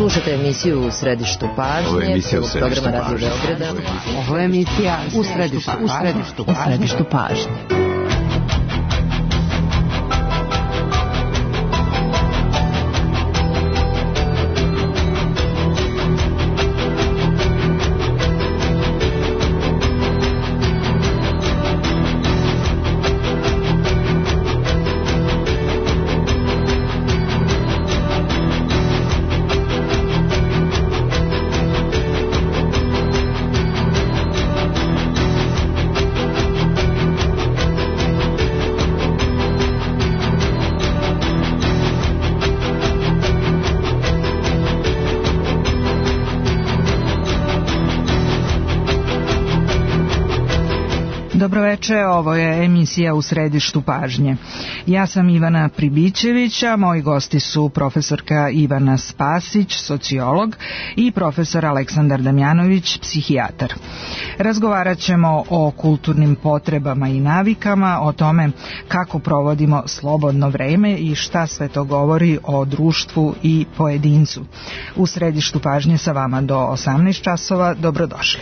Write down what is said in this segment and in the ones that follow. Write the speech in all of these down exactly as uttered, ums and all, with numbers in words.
Slušajte emisiju U središtu pažnje. Ovo je emisija U središtu programa Radio Beograda. Ovo je emisija U središtu, u središtu, u središtu pažnje. Dobroveče, ovo je emisija U središtu pažnje. Ja sam Ivana Pribićević, a moji gosti su profesorka Ivana Spasić, sociolog, i profesor Aleksandar Damjanović, psihijatar. Razgovarat ćemo o kulturnim potrebama i navikama, o tome kako provodimo slobodno vreme i šta sve to govori o društvu i pojedincu. U središtu pažnje sa vama do osamnaest časova, dobrodošli.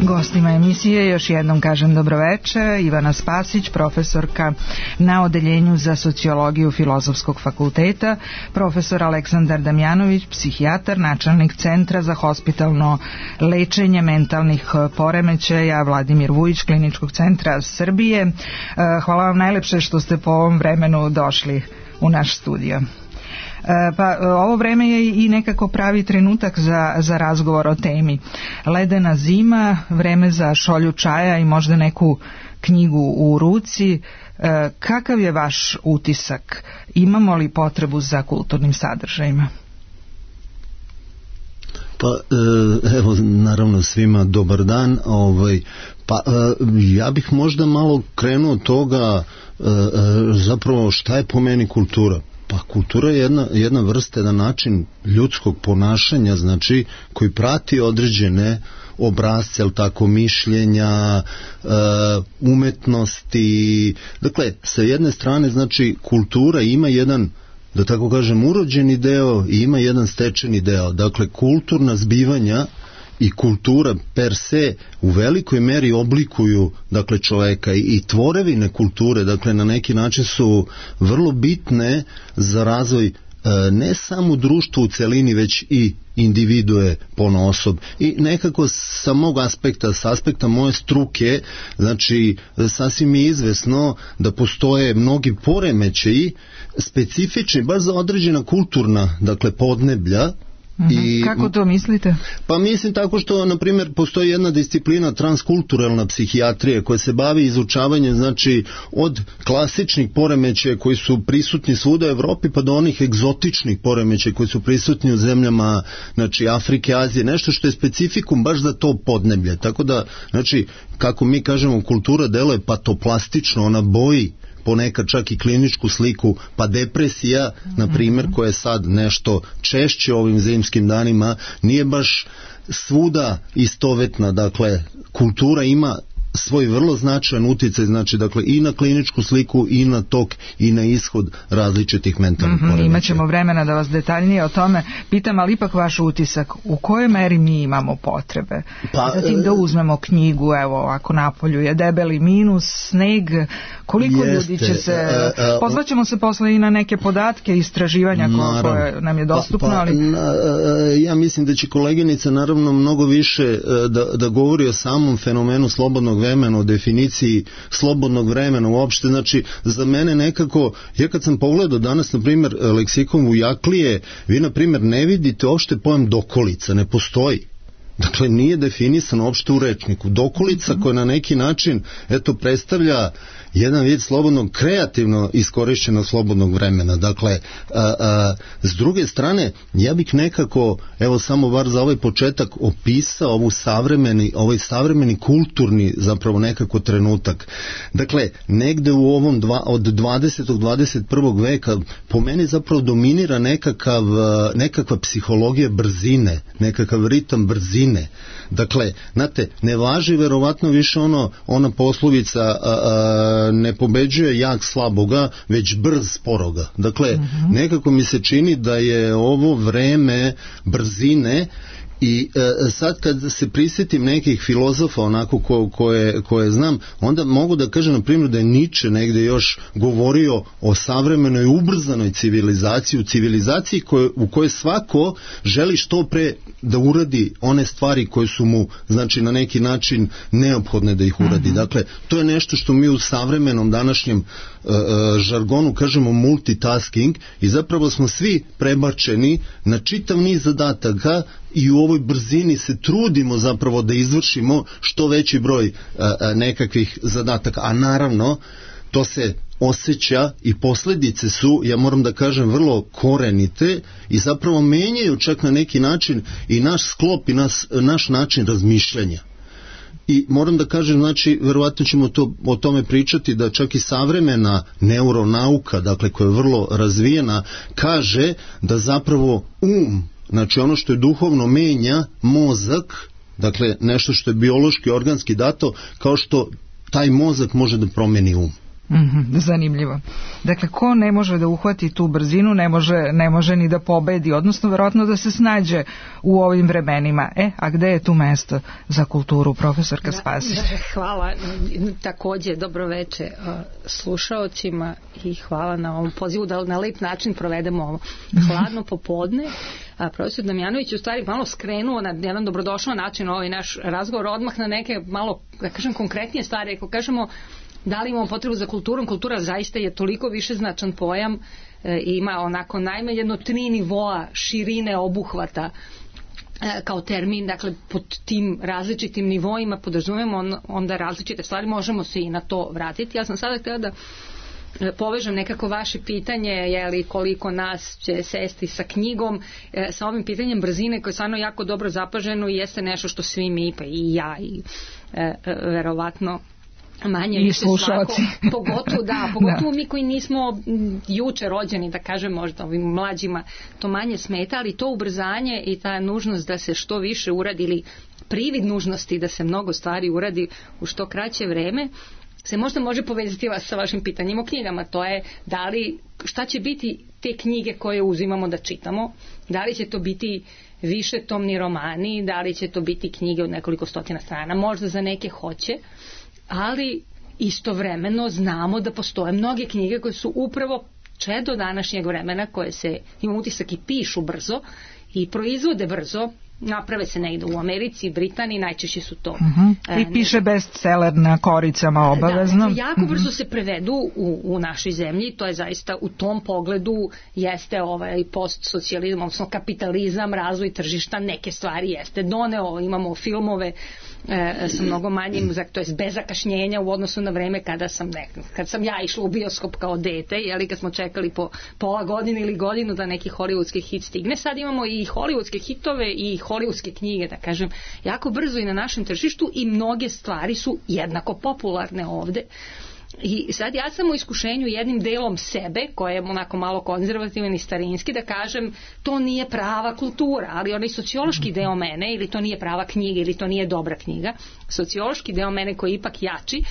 Gostima emisije još jednom kažem dobroveče. Ivana Spasić, profesorka na Odeljenju za sociologiju Filozofskog fakulteta, profesor Aleksandar Damjanović, psihijatar, načelnik Centra za hospitalno lečenje mentalnih poremećaja Vladimir Vujić, Kliničkog centra Srbije. Hvala vam najlepše što ste po ovom vremenu došli u naš studio. Pa ovo vreme je i nekako pravi trenutak za, za razgovor o temi. Ledena zima, vreme za šolju čaja i možda neku knjigu u ruci. Kakav je vaš utisak? Imamo li potrebu za kulturnim sadržajima? Pa evo, naravno svima dobar dan. Ovaj, pa ja bih možda malo krenuo od toga zapravo šta je po meni kultura. Pa kultura je jedna, jedna vrsta, jedan način ljudskog ponašanja, znači, koji prati određene obrasce, ali tako, mišljenja, uh, umetnosti. Dakle, sa jedne strane, znači, kultura ima jedan, da tako kažem, urođeni deo i ima jedan stečeni deo. Dakle, kulturna zbivanja i kultura per se u velikoj meri oblikuju, dakle, čoveka i, i tvorevine kulture, dakle, na neki način su vrlo bitne za razvoj e, ne samo društva u celini, već i individue ponaosob. I nekako sa mog aspekta, sa aspekta moje struke, znači, sasvim je izvesno da postoje mnogi poremećaji specifični, baš za određena kulturna, dakle, podneblja. I, kako to mislite? Pa mislim tako što, na primjer, postoji jedna disciplina transkulturalna psihijatrija koja se bavi izučavanjem, znači, od klasičnih poremećaja koji su prisutni svuda u Evropi pa do onih egzotičnih poremećaja koji su prisutni u zemljama, znači, Afrike, Azije, nešto što je specifikum baš za to podneblje. Tako da, znači, kako mi kažemo, kultura deluje patoplastično, ona boji ponekad čak i kliničku sliku, pa depresija, na primjer, koja je sad nešto češće ovim zimskim danima, nije baš svuda istovetna. Dakle, kultura ima svoj vrlo značajan uticaj, znači, dakle, i na kliničku sliku i na tok i na ishod različitih mentalnih mm-hmm, poremećaja. Imaćemo vremena da vas detaljnije o tome pitam, ali ipak vaš utisak, u kojoj meri mi imamo potrebe? Pa, zatim da uzmemo knjigu, evo, ako napolju je debeli minus, sneg, koliko jeste, ljudi će se... Pozvaćemo se posle i na neke podatke, istraživanja koje nam je dostupno, pa, pa, ali... Na, ja mislim da će koleginica naravno mnogo više da, da govori o samom fenomenu slobodnog vremena, o definiciji slobodnog vremena uopšte. Znači, za mene nekako, ja kad sam pogledao danas, na primjer, leksikon Vujaklije, vi, na primjer, ne vidite uopšte pojam dokolica, ne postoji. Dakle, nije definisan uopšte u rečniku. Dokolica koja na neki način, eto, predstavlja jedan vid slobodnog, kreativno iskorišćenog slobodnog vremena. Dakle, a, a, s druge strane, ja bih nekako, evo samo bar za ovaj početak, opisao ovu savremeni, ovaj savremeni kulturni zapravo nekako trenutak. Dakle, negde u ovom dva, od dvadesetog do dvadeset prvog veka po meni zapravo dominira nekakav, nekakva psihologija brzine, nekakav ritam brzine. Dakle, znate, ne važi verovatno više ono, ona poslovica a, a, ne pobeđuje jak slaboga, već brz sporoga. Dakle, uh-huh. nekako mi se čini da je ovo vreme brzine. I e, sad kad se prisjetim nekih filozofa onako ko, koje, koje znam, onda mogu da kažem na primjer da je Nietzsche negde još govorio o savremenoj ubrzanoj civilizaciji, u civilizaciji koje, u kojoj svako želi što pre da uradi one stvari koje su mu, znači, na neki način neophodne da ih uradi. Mm-hmm. Dakle, to je nešto što mi u savremenom današnjem e, žargonu kažemo multitasking, i zapravo smo svi prebačeni na čitav niz zadataka i u ovoj brzini se trudimo zapravo da izvršimo što veći broj a, a, nekakvih zadataka, a naravno to se osjeća i posljedice su, ja moram da kažem, vrlo korenite i zapravo menjaju čak na neki način i naš sklop i nas, naš način razmišljanja. I moram da kažem, znači, verovatno ćemo to, o tome pričati, da čak i savremena neuronauka, dakle, koja je vrlo razvijena, kaže da zapravo um, znači ono što je duhovno, menja mozak, dakle nešto što je biološki, organski dato, kao što taj mozak može da promeni um. Mm-hmm, zanimljivo. Dakle, ko ne može da uhvati tu brzinu, ne može, ne može ni da pobedi, odnosno verovatno da se snađe u ovim vremenima. E, a gde je tu mesto za kulturu, profesorka Spasić? Hvala, takođe dobroveče slušaocima i hvala na ovom pozivu da na lep način provedemo ovo hladno popodne. A profesor Damjanović u stvari malo skrenuo na jedan dobrodošao način ovaj naš razgovor, odmah na neke malo, da kažem, konkretnije stvari. Ako kažemo da li imamo potrebu za kulturom, kultura zaista je toliko više značan pojam, e, ima onako najmanje jedno tri nivoa širine obuhvata e, kao termin, dakle pod tim različitim nivoima podrazumemo on, onda različite stvari, možemo se i na to vratiti. Ja sam sada htjela da povežem nekako vaše pitanje, je li koliko nas će sesti sa knjigom, e, sa ovim pitanjem brzine koje je stvarno jako dobro zapaženo i jeste nešto što svi mi, pa i ja i e, e, verovatno manje i slušalci. Pogotovo, da, pogotovo da. Mi koji nismo juče rođeni, da kažem, možda ovim mlađima to manje smeta, ali to ubrzanje i ta nužnost da se što više uradi ili privid nužnosti da se mnogo stvari uradi u što kraće vreme se možda može povezati vas sa vašim pitanjima o knjigama. To je da li, šta će biti te knjige koje uzimamo da čitamo, da li će to biti više tomni romani, da li će to biti knjige od nekoliko stotina strana, možda za neke hoće, ali istovremeno znamo da postoje mnoge knjige koje su upravo čedo današnjeg vremena, koje se, imam utisak, i pišu brzo i proizvode brzo, naprave se negde u Americi, Britaniji, najčešće su to. Uh-huh. I piše bestseller na koricama obavezno. Da, jako brzo se prevedu u, u našoj zemlji, to je zaista u tom pogledu jeste ovaj postsocijalizam, odnosno kapitalizam, razvoj tržišta, neke stvari jeste doneo, imamo filmove e, sa mnogo manjim, to je bez zakašnjenja u odnosu na vreme kada sam ne, kad sam ja išla u bioskop kao dete, jeli, kad smo čekali po pola godine ili godinu da neki hollywoodski hit stigne. Sad imamo i hollywoodske hitove i hollywoodske knjige, da kažem, jako brzo i na našem tržištu i mnoge stvari su jednako popularne ovde. I sad ja sam u iskušenju jednim delom sebe, koji je onako malo konzervativan i starinski, da kažem to nije prava kultura, ali onaj sociološki deo mene, ili to nije prava knjiga, ili to nije dobra knjiga, sociološki deo mene koji je ipak jači,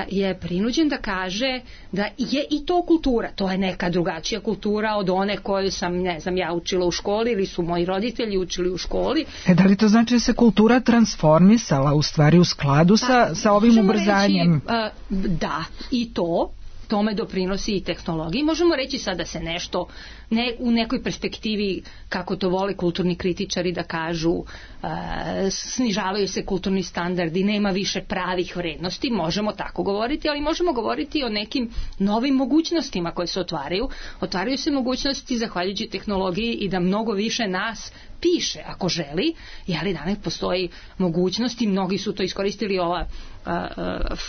je prinuđen da kaže da je i to kultura, to je neka drugačija kultura od one koju sam, ne znam, ja učila u školi ili su moji roditelji učili u školi. E, da li to znači da se kultura transformisala u stvari u skladu pa, sa, sa ovim ubrzanjem? Reći, da, i to, tome doprinosi i tehnologiji. Možemo reći sad da se nešto ne, u nekoj perspektivi, kako to vole kulturni kritičari da kažu, e, snižavaju se kulturni standardi, nema više pravih vrednosti, možemo tako govoriti, ali možemo govoriti o nekim novim mogućnostima koje se otvaraju. Otvaraju se mogućnosti zahvaljujući tehnologiji i da mnogo više nas piše ako želi, ali danas postoji mogućnost i mnogi su to iskoristili. Ova uh, uh,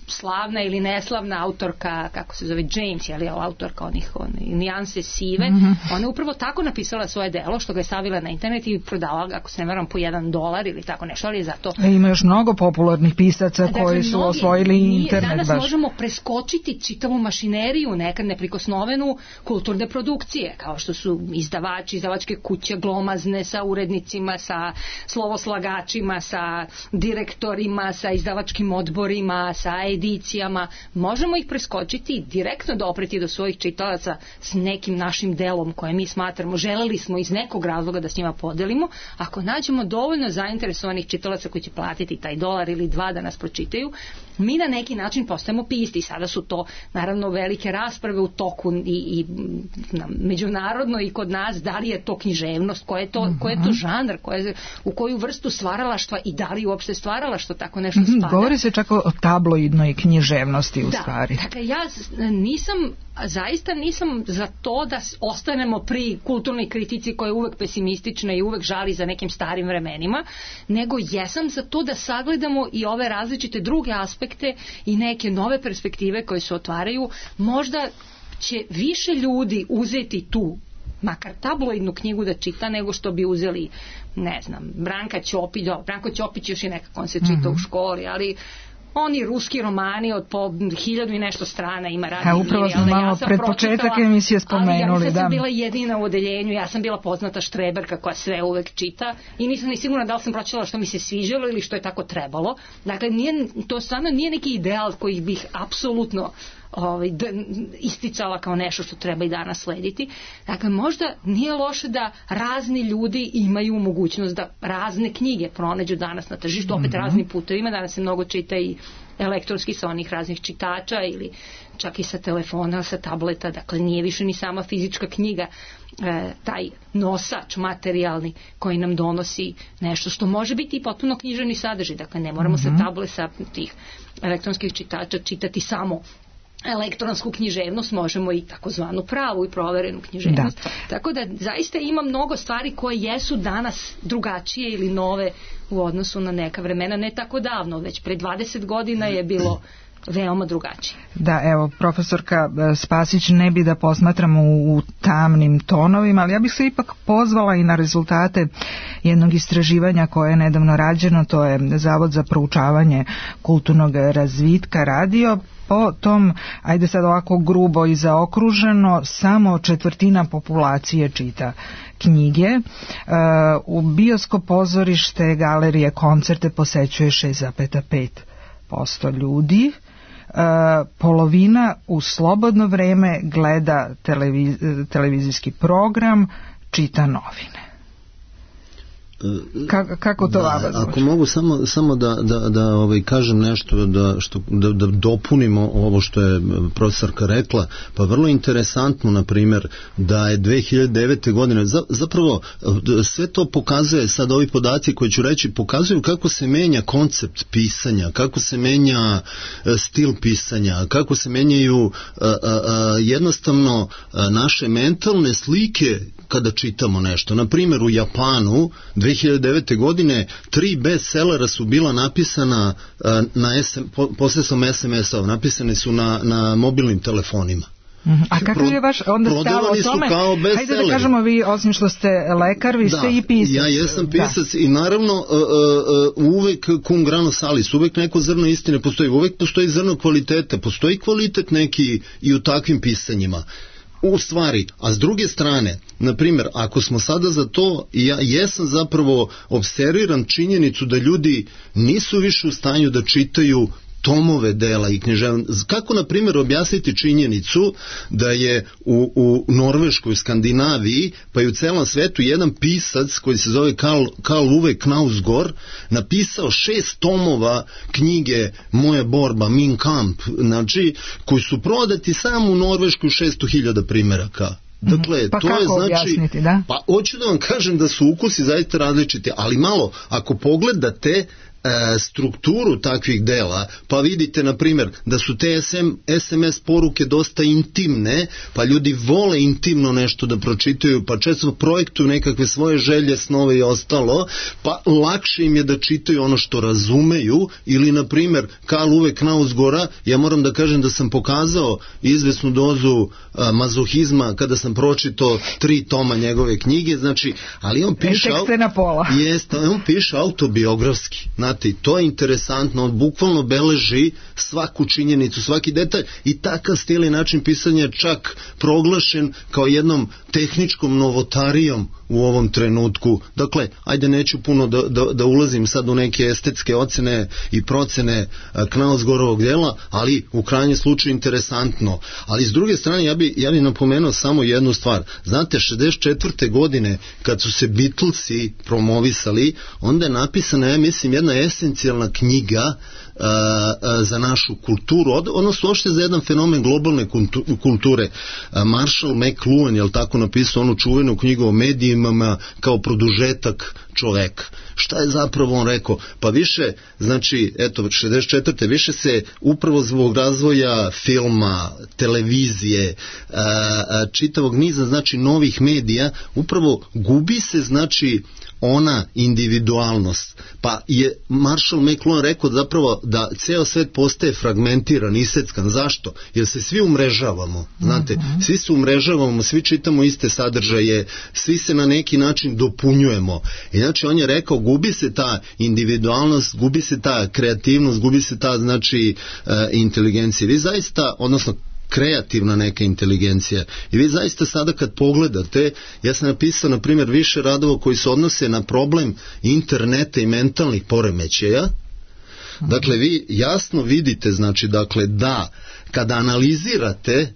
slavna ili neslavna autorka, kako se zove, James, je li autorka onih, onih nijanse sive, mm-hmm. ona je upravo tako napisala svoje delo, što ga je stavila na internet i prodavala ga, ako se ne varam, po jedan dolar ili tako nešto, ali je zato... E, ima još mnogo popularnih pisaca dakle, koji su mnogi, osvojili internet. Danas baš. možemo preskočiti čitavu mašineriju, nekad neprikosnovenu kulturne produkcije, kao što su izdavači, izdavačke kuće, glomazne, sa urednicima, sa slovoslagačima, sa direktorima, sa izdavačkim odborima, sa edicijama. Možemo ih preskočiti i direktno dopreti do svojih čitalaca s nekim našim delom koje mi smatramo, želeli smo iz nekog razloga da s njima podelimo. Ako nađemo dovoljno zainteresovanih čitalaca koji će platiti taj dolar ili dva da nas pročitaju, mi na neki način postajemo pisti. Sada su to naravno velike rasprave u toku i, i na, međunarodno i kod nas, da li je to književnost, ko je to, ko je to žanr, ko je, u koju vrstu stvaralaštva i da li uopšte stvaralaštvo tako nešto spada. Govori se čak o tabloidnoj književnosti u da, stvari. Dakle, ja nisam, zaista nisam za to da ostanemo pri kulturnoj kritici koja je uvek pesimistična i uvek žali za nekim starim vremenima, nego jesam za to da sagledamo i ove različite druge aspekte i neke nove perspektive koje se otvaraju. Možda će više ljudi uzeti tu makar tabloidnu knjigu da čita nego što bi uzeli, ne znam, Branka Ćopić, do, Branko Ćopić još i nekako on se čita mm-hmm. u školi, ali oni ruski romani od po hiljadu i nešto strana ima radi. A upravo smo malo ja pred početak emisije spomenuli. Ali ja da. sam bila jedina u odeljenju, ja sam bila poznata štreberka koja sve uvek čita i nisam ni sigurna da li sam pročitala što mi se sviđalo ili što je tako trebalo. Dakle, nije, to stvarno nije neki ideal koji bih apsolutno ovaj, d, isticala kao nešto što treba i danas slediti. Dakle, možda nije loše da razni ljudi imaju mogućnost da razne knjige pronađu danas na tržištu, opet mm-hmm. raznim putevima. Danas se mnogo čita i elektronski sa onih raznih čitača ili čak i sa telefona, sa tableta. Dakle, nije više ni sama fizička knjiga e, taj nosač materijalni koji nam donosi nešto što može biti i potpuno književni sadržaj. Dakle, ne moramo mm-hmm. sa tableta, tih elektronskih čitača čitati samo elektronsku književnost, možemo i takozvanu pravu i proverenu književnost. Da. Tako da zaista ima mnogo stvari koje jesu danas drugačije ili nove u odnosu na neka vremena, ne tako davno, već pre dvadeset godina je bilo veoma drugačije. Da, evo, profesorka Spasić, ne bi da posmatramo u, u tamnim tonovima, ali ja bih se ipak pozvala i na rezultate jednog istraživanja koje je nedavno rađeno, to je Zavod za proučavanje kulturnog razvitka radio. Po tom, ajde sad ovako grubo i zaokruženo, samo četvrtina populacije čita knjige. E, u bioskop, pozorište, galerije, koncerte posećuje šest zarez pet posto ljudi. E, polovina u slobodno vreme gleda televiz, televizijski program, čita novine. Kako, kako to vama zvuči? Ako mogu samo, samo da, da, da ovaj, kažem nešto, da, što, da, da dopunimo ovo što je profesorka rekla, pa vrlo interesantno, na primjer, da je dve hiljade devete. godine, zapravo sve to pokazuje, sad ovi podaci koji ću reći, pokazuju kako se menja koncept pisanja, kako se menja stil pisanja, kako se menjaju a, a, a, jednostavno a, naše mentalne slike kada čitamo nešto. Na primjer, u Japanu dve hiljade devete. godine tri bestsellera su bila napisana uh, na S M, po, posredstvom es em es-ova, napisane su na, na mobilnim telefonima. Mm-hmm. A kako je vaš onda stav o tome? Hajde da kažemo, vi, osim što ste lekar, vi da, ste i pisac. Ja jesam pisac da. I naravno uh, uh, uvek cum grano salis, uvek neko zrno istine postoji, uvek postoji zrno kvaliteta, postoji kvalitet neki i u takvim pisanjima. U stvari, a s druge strane, na primjer, ako smo sada za to, ja jesam zapravo observiran činjenicu da ljudi nisu više u stanju da čitaju tomove dela i književne. Kako, na primjer, objasniti činjenicu da je u, u Norveškoj, u Skandinaviji, pa i u celom svetu jedan pisac koji se zove Karl, Karl Uwe Knausgård napisao šest tomova knjige Moja borba, Mein Kampf, znači, koji su prodati samo u Norveškoj šesto hiljada primjeraka. Dakle, pa to kako je znači, objasniti, da? Pa hoću da vam kažem da su ukusi zaista različiti, ali malo, ako pogledate strukturu takvih dela, pa vidite na primjer da su te es em es poruke dosta intimne, pa ljudi vole intimno nešto da pročitaju, pa često projektuju nekakve svoje želje, snove i ostalo, pa lakše im je da čitaju ono što razumeju, ili na primjer Karl Uwe Knausgårda, ja moram da kažem da sam pokazao izvesnu dozu a, mazohizma kada sam pročitao tri toma njegove knjige, znači, ali on piše, na pola. Jeste, on piše autobiografski, znate, to je interesantno, on bukvalno beleži svaku činjenicu, svaki detalj, i takav stil i način pisanja je čak proglašen kao jednom tehničkom novotarijom u ovom trenutku. Dakle, ajde, neću puno da, da, da ulazim sad u neke estetske ocene i procene Knausgårdovog dela, ali u krajnjem slučaju interesantno. Ali s druge strane, ja bi, ja bi napomenuo samo jednu stvar. Znate, šezdeset četvrte godine kad su se Beatlesi promovisali, onda je napisana, ja mislim, jedna esencijalna knjiga uh, uh, za našu kulturu, od, odnosno uopšte za jedan fenomen globalne kulture. Uh, Marshall McLuhan, jel tako, napisao onu čuvenu knjigu o medijima kao produžetak čoveka. Šta je zapravo on rekao? Pa više, znači, eto, šezdeset četvrte više se upravo zbog razvoja filma, televizije, a, a, čitavog niza, znači, novih medija, upravo gubi se, znači, ona individualnost. Pa je Marshall McLuhan rekao zapravo da ceo svet postaje fragmentiran, iseckan. Zašto? Jer se svi umrežavamo. Znate, mm-hmm. svi se umrežavamo, svi čitamo iste sadržaje, svi se na neki način dopunjujemo. I znači on je rekao, gubi se ta individualnost, gubi se ta kreativnost, gubi se ta, znači, uh, inteligencija. Vi zaista, odnosno kreativna neka inteligencija. I vi zaista sada kad pogledate, ja sam napisao na primjer više radova koji se odnose na problem interneta i mentalnih poremećaja. Dakle, vi jasno vidite, znači, dakle, da kada analizirate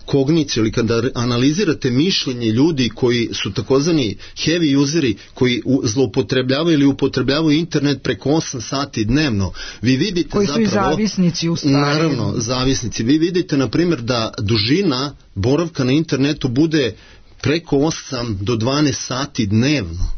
kogniciju ili kada analizirate mišljenje ljudi koji su takozvani heavy useri, koji zloupotrebljavaju ili upotrebljavaju internet preko osam sati dnevno, vi vidite koji zapravo... Koji su i zavisnici u stvari. Naravno, zavisnici. Vi vidite, na primjer, da dužina boravka na internetu bude preko osam do dvanaest sati dnevno.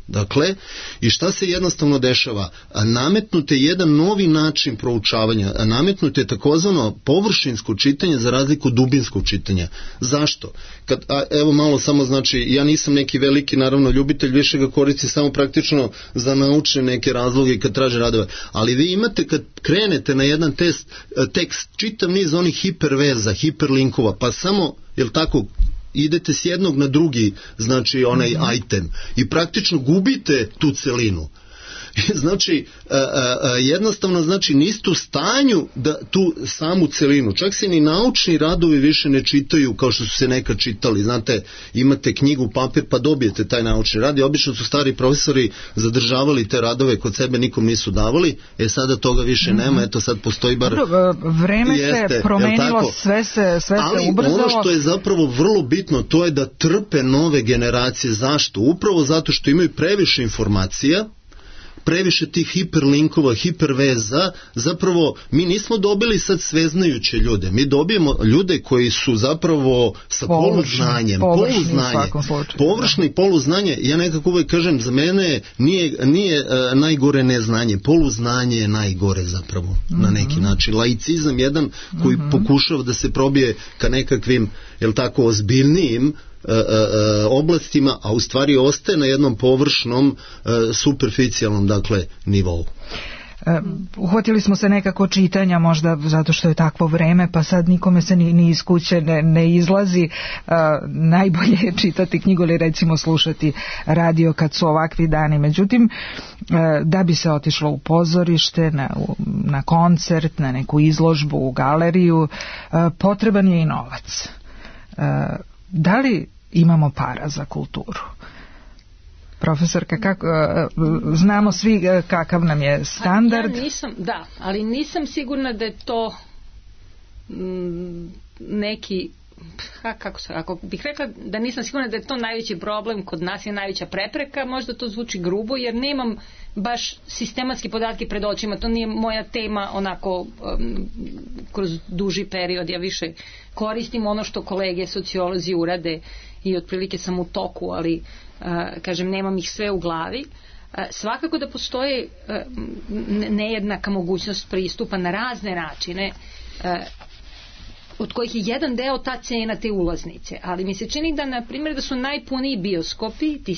Dakle, i šta se jednostavno dešava? Nametnut je jedan novi način proučavanja, nametnut je takozvano površinsko čitanje za razliku od dubinskog čitanja. Zašto? Kad, a, evo malo samo, znači, ja nisam neki veliki, naravno, ljubitelj, više ga koristi samo praktično za naučne neke razloge kad traže radove, ali vi imate kad krenete na jedan test, tekst, čitav niz onih hiperveza, hiperlinkova, pa samo, jel tako, idete s jednog na drugi, znači onaj mm-hmm. item, i praktično gubite tu celinu. Znači, a, a, a, jednostavno, znači, niste u stanju da tu samu celinu, čak se ni naučni radovi više ne čitaju kao što su se nekad čitali. Znate, imate knjigu, papir, pa dobijete taj naučni rad, i obično su stari profesori zadržavali te radove kod sebe, nikom nisu davali, e sada toga više mm-hmm. nema, eto sad postoji bar... Dobro, vreme jeste, se promenilo, sve se, sve ali se ubrzalo. Ali ono što je zapravo vrlo bitno, to je da trpe nove generacije. Zašto? Upravo zato što imaju previše informacija, previše tih hiperlinkova, hiperveza. Zapravo mi nismo dobili sad sveznajuće ljude, mi dobijemo ljude koji su zapravo sa površni, poluznanjem, površni, poluznanje, površni poluznanje. Ja nekako uvek kažem, za mene nije, nije uh, najgore neznanje, poluznanje je najgore zapravo, mm-hmm. na neki način. Laicizam jedan koji mm-hmm. pokušava da se probije ka nekakvim, jel tako, ozbiljnijim oblastima, a u stvari ostaje na jednom površnom, superficijalnom, dakle, nivou. Uhvatili smo se nekako čitanja, možda zato što je takvo vreme, pa sad nikome se ni, ni iz kuće ne, ne izlazi. Uh, najbolje je čitati knjigu ili recimo slušati radio kad su ovakvi dani. Međutim, uh, da bi se otišlo u pozorište, na, na koncert, na neku izložbu, u galeriju, uh, potreban je i novac. Uh, da li imamo para za kulturu? Profesorka, kako, znamo svi kakav nam je standard. Ja nisam, da, ali nisam sigurna da je to m, neki, ha, kako se, ako bih rekla da nisam sigurna da je to najveći problem kod nas, je najveća prepreka, možda to zvuči grubo, jer nemam baš sistematski podatke pred očima, to nije moja tema onako um, kroz duži period, ja više koristim ono što kolege sociolozi urade i otprilike sam u toku, ali uh, kažem, nemam ih sve u glavi. Uh, svakako da postoje uh, nejednaka mogućnost pristupa na razne načine, uh, od kojih je jedan deo ta cena te ulaznice, ali mi se čini da, na primjer, da su najpuniji bioskopi, ti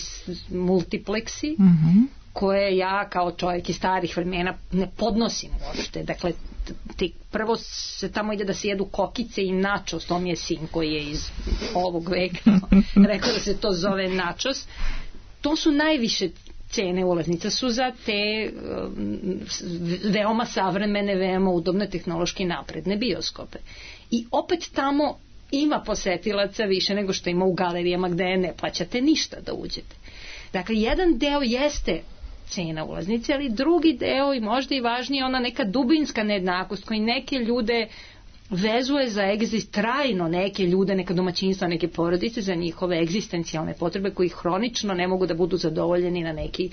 multipleksi, mm-hmm. koje ja kao čovjek iz starih vremena ne podnosim uopšte. Dakle, ti, prvo se tamo ide da se jedu kokice i načos, to mi je sin koji je iz ovog veka rekao da se to zove načos. To su najviše cene ulaznica, su za te um, veoma savremene, veoma udobne, tehnološki napredne bioskope. I opet tamo ima posetilaca više nego što ima u galerijama gde ne plaćate ništa da uđete. Dakle, jedan deo jeste cena ulaznice, ali drugi deo i možda i važnije ona neka dubinska nejednakost koji neke ljude vezuje za egzist, trajno neke ljude, neka domaćinstva, neke porodice za njihove egzistencijalne potrebe koji hronično ne mogu da budu zadovoljeni na neki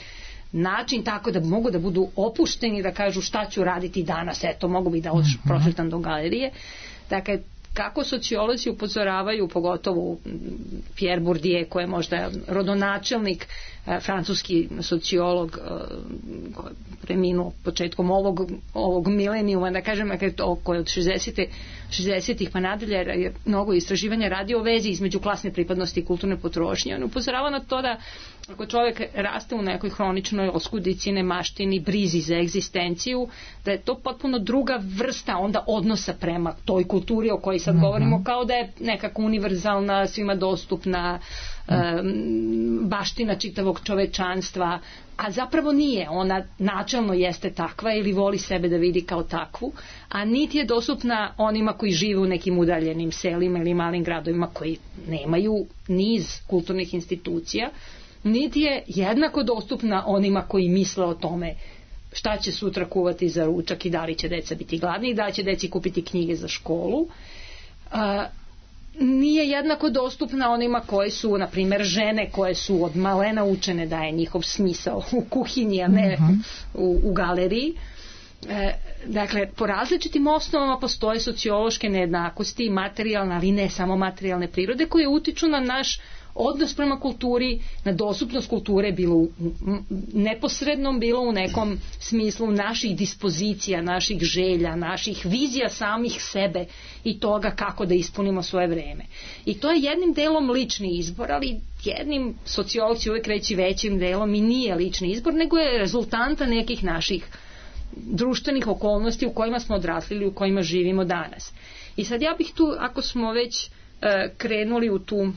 način, tako da mogu da budu opušteni, da kažu šta ću raditi danas, eto, mogu bi da prošetam do galerije. Dakle, kako sociolozi upozoravaju, pogotovo Pierre Bourdieu, koji je možda rodonačelnik, francuski sociolog koji je preminuo početkom ovog, ovog milenijuma, da kažem, koji je od šezdesetih pa nadalje je mnogo istraživanja radio o vezi između klasne pripadnosti i kulturne potrošnje. On upozorava na to da ako čovjek raste u nekoj hroničnoj oskudici, nemaštini, brizi za egzistenciju, da je to potpuno druga vrsta onda odnosa prema toj kulturi o kojoj sad mm-hmm. govorimo, kao da je nekako univerzalna, svima dostupna, um, baština čitavog čovečanstva, a zapravo nije. Ona načelno jeste takva ili voli sebe da vidi kao takvu, a niti je dostupna onima koji žive u nekim udaljenim selima ili malim gradovima koji nemaju niz kulturnih institucija, niti je jednako dostupna onima koji misle o tome šta će sutra kuvati za ručak i da li će deca biti gladni i da li će deci kupiti knjige za školu. A, nije jednako dostupna onima koje su, na primjer, žene koje su od malena učene da je njihov smisao u kuhinji, a ne uh-huh. u, u galeriji. E, dakle, po različitim osnovama postoje sociološke nejednakosti, materijalne, ali ne samo materijalne prirode, koje utiču na naš odnos prema kulturi, na dostupnost kulture, bilo u neposrednom, bilo u nekom smislu naših dispozicija, naših želja, naših vizija samih sebe i toga kako da ispunimo svoje vreme. I to je jednim delom lični izbor, ali jednim, sociolozi uvek reći većim delom, i nije lični izbor, nego je rezultanta nekih naših društvenih okolnosti u kojima smo odrasli, u kojima živimo danas. I sad ja bih tu, ako smo već uh, krenuli u tu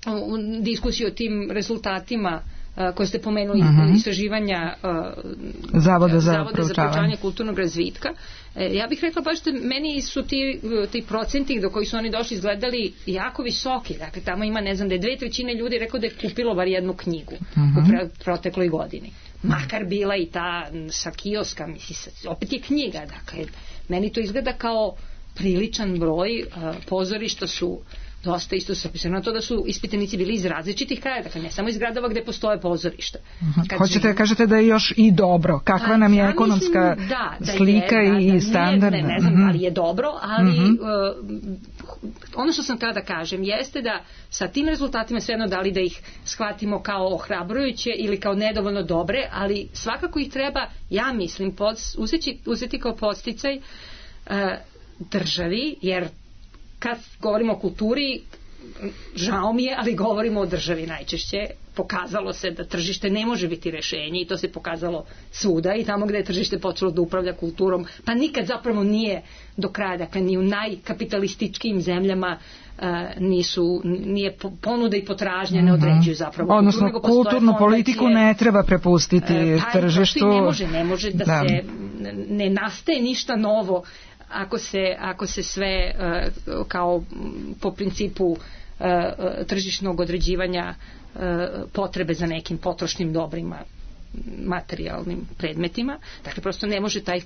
u diskusiju o tim rezultatima uh, koje ste pomenuli, uh-huh. istraživanja uh, Zavoda za, Zavoda za proučavanje kulturnog razvitka. E, ja bih rekla baš da meni su ti, ti procenti do kojih su oni došli izgledali jako visoki. Dakle, tamo ima, ne znam, da je dve trećine ljudi rekao da je kupilo bar jednu knjigu uh-huh. u pre, protekloj godini. Makar bila i ta sa kioska, misli, opet je knjiga. Dakle, meni to izgleda kao priličan broj. Uh, pozorišta su dosta isto se pisano na to da su ispitanici bili iz različitih kraja, dakle ne samo iz gradova gde postoje pozorišta. Uh-huh. Hoćete da kažete da je još i dobro, kakva nam je ja ekonomska mislim, da, da slika je, da, i da, standard? Ne, ne, ne znam uh-huh. ali je dobro, ali uh-huh. uh, ono što sam tada da kažem jeste da sa tim rezultatima svejedno da li da ih shvatimo kao ohrabrujuće ili kao nedovoljno dobre, ali svakako ih treba, ja mislim, pod, uzeti, uzeti kao podsticaj uh, državi, jer kad govorimo o kulturi, žao mi je, ali govorimo o državi najčešće. Pokazalo se da tržište ne može biti rešenje i to se pokazalo svuda i tamo gde je tržište počelo da upravlja kulturom, pa nikad zapravo nije do kraja, dakle ni u najkapitalističkijim zemljama uh, nisu, nije ponuda i potražnja ne određuju zapravo odnosno kulturu, kulturnu politiku ne treba prepustiti uh, pa, tržištu. Ne može, ne može da, da se ne nastaje ništa novo ako se, ako se sve uh, kao po principu uh, tržišnog određivanja potrebe za nekim potrošnim dobrima, materijalnim predmetima, dakle prosto ne može taj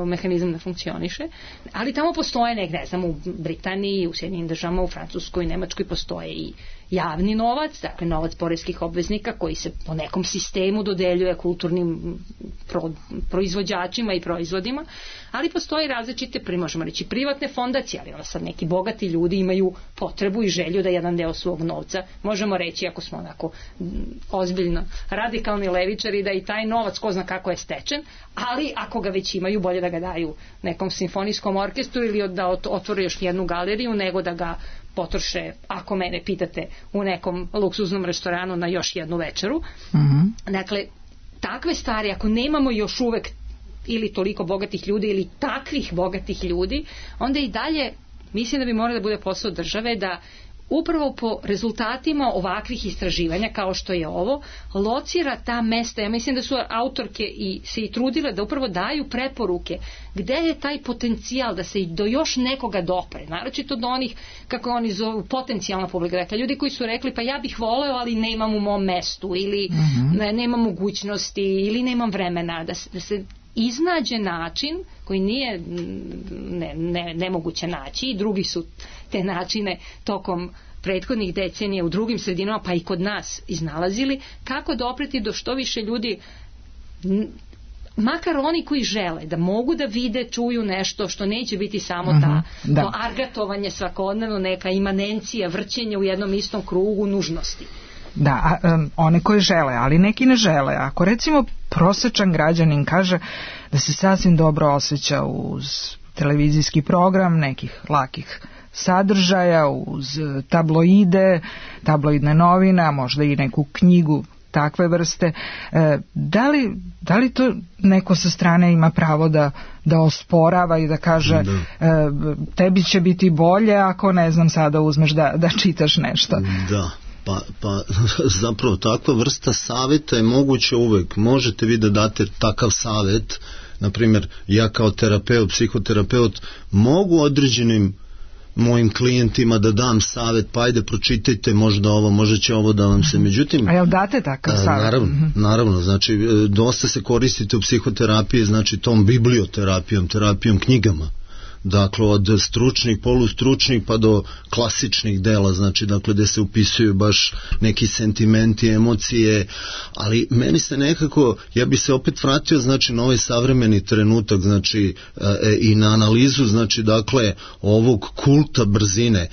mehanizam da funkcioniše, ali tamo postoje nek, ne znam, u Britaniji, u Sjedinjenim državama, u Francuskoj, Nemačkoj postoje i javni novac, dakle novac poreskih obveznika koji se po nekom sistemu dodeljuje kulturnim pro, proizvođačima i proizvodima, ali postoje različite, možemo reći, privatne fondacije, ali onda sad neki bogati ljudi imaju potrebu i želju da jedan deo svog novca, možemo reći, ako smo onako ozbiljno radikalni levičari, da i taj novac ko zna kako je stečen, ali ako ga već imaju, bolje da ga daju nekom simfonijskom orkestru ili da otvore još jednu galeriju, nego da ga potroše, ako mene pitate, u nekom luksuznom restoranu na još jednu večeru. Mm-hmm. Dakle, takve stvari, ako nemamo još uvek ili toliko bogatih ljudi ili takvih bogatih ljudi, onda i dalje mislim da bi moralo da bude posao države da upravo po rezultatima ovakvih istraživanja kao što je ovo, locira ta mesta. Ja mislim da su autorke i se i trudile da upravo daju preporuke gde je taj potencijal da se i do još nekoga dopre, naročito do onih, kako oni zovu, potencijalna publika. Dakle, ljudi koji su rekli pa ja bih voleo, ali nemam u mom mestu ili mm-hmm. ne, nemam mogućnosti ili nemam vremena, da se, da se iznađe način koji nije ne, ne, nemoguće naći i drugi su te načine tokom prethodnih decenija u drugim sredinama pa i kod nas iznalazili, kako dopreti do što više ljudi, makar oni koji žele da mogu da vide, čuju nešto što neće biti samo ta mm-hmm, da. to argatovanje svakodnevno, neka imanencija, vrćenje u jednom istom krugu nužnosti. Da, um, one koji žele, ali neki ne žele. Ako recimo prosečan građanin kaže da se sasvim dobro osjeća uz televizijski program nekih lakih sadržaja, uz tabloide, tabloidne novine, a možda i neku knjigu takve vrste, e, da li, da li to neko sa strane ima pravo da, da osporava i da kaže da. E, tebi će biti bolje ako, ne znam, sada uzmeš da, da čitaš nešto? Da. Pa, pa zapravo takva vrsta savjeta je moguće uvek. Možete vi da date takav savjet, na primjer ja kao terapeut, psihoterapeut mogu određenim mojim klijentima da dam savjet, pa ajde pročitajte možda ovo, možda će ovo da vam se, međutim... A jel date takav savjet? Naravno, naravno, znači dosta se koristite u psihoterapiji, znači tom biblioterapijom, terapijom knjigama. Dakle, od stručnih, polustručnih pa do klasičnih dela, znači, dakle, gde se upisuju baš neki sentimenti, emocije, ali meni se nekako, ja bi se opet vratio, znači, na ovaj savremeni trenutak, znači, e, i na analizu, znači, dakle, ovog kulta brzine. E,